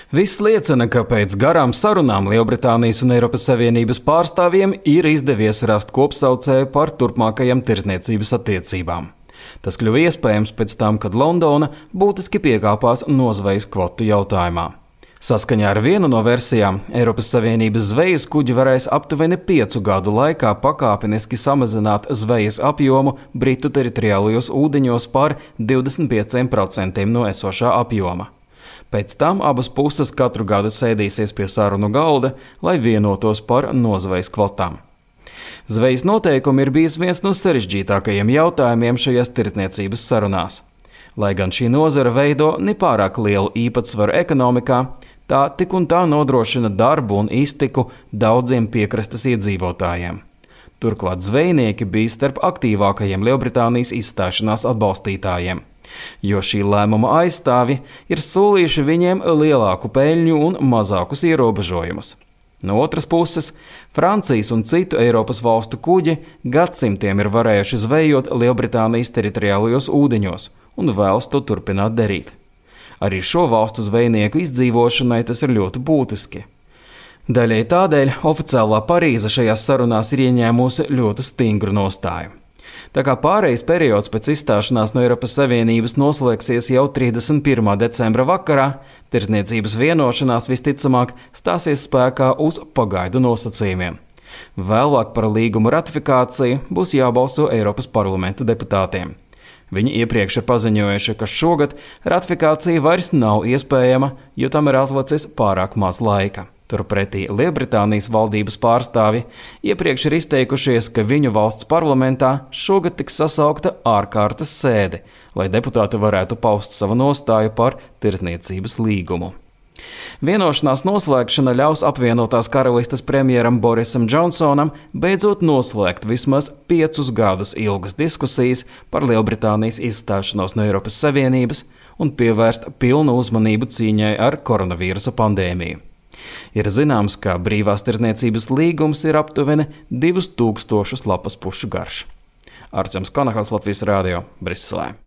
Viss liecina, ka pēc garām sarunām Lielbritānijas un Eiropas Savienības pārstāvjiem ir izdevies rast kopsaucēju par turpmākajām tirdzniecības attiecībām. Tas kļuva iespējams pēc tam, kad Londona būtiski piekāpās nozvejas kvotu jautājumā. Saskaņā ar vienu no versijām, Eiropas Savienības zvejas kuģi varēs aptuveni 5 gadu laikā pakāpeniski samazināt zvejas apjomu Britu teritoriālajos ūdeņos par 25% no esošā apjoma. Pēc tam abas puses katru gadu sēdīsies pie sarunu galda, lai vienotos par nozvejas kvotām. Zvejas noteikumi ir bijis viens no sarežģītākajiem jautājumiem šajās tirdzniecības sarunās. Lai gan šī nozara veido nepārāk lielu īpatsvaru ekonomikā, tā tik un tā nodrošina darbu un iztiku daudziem piekrastes iedzīvotājiem. Turklāt zvejnieki bija starp aktīvākajiem Lielbritānijas izstāšanās atbalstītājiem, jo šī lēmuma aizstāvji ir solījuši viņiem lielāku peļņu un mazākus ierobežojumus. No otras puses, Francijas un citu Eiropas valstu kuģi gadsimtiem ir varējuši zvejot Lielbritānijas teritoriālajos ūdeņos un vēlas to turpināt darīt. Arī šo valstu zvejnieku izdzīvošanai tas ir ļoti būtiski. Daļai tādēļ oficiālā Parīze šajās sarunās ir ieņēmusi ļoti stingru nostāju. Tā kā pārejas periods pēc izstāšanās no Eiropas Savienības noslēgsies jau 31. decembra vakarā, tirdzniecības vienošanās visticamāk stāsies spēkā uz pagaidu nosacījumiem. Vēlāk par līguma ratifikāciju būs jābalso Eiropas parlamenta deputātiem. Viņi iepriekš ir paziņojuši, ka šogad ratifikācija vairs nav iespējama, jo tam ir atlicis pārāk maz laika. Turpretī Lielbritānijas valdības pārstāvji iepriekš ir izteikušies, ka viņu valsts parlamentā šogad tiks sasaukta ārkārtas sēde, lai deputāti varētu paust savu nostāju par tirdzniecības līgumu. Vienošanās noslēgšana ļaus apvienotās karalistes premjeram Borisam Džonsonam beidzot noslēgt vismaz 5 gadus ilgas diskusijas par Lielbritānijas izstāšanos no Eiropas Savienības un pievērst pilnu uzmanību cīņai ar koronavīrusa pandēmiju. Ir zināms, ka brīvās tirdzniecības līgums ir aptuveni 2000 lapas pušu garš. Arčuns Konahals, Latvijas Rādio, Briselē.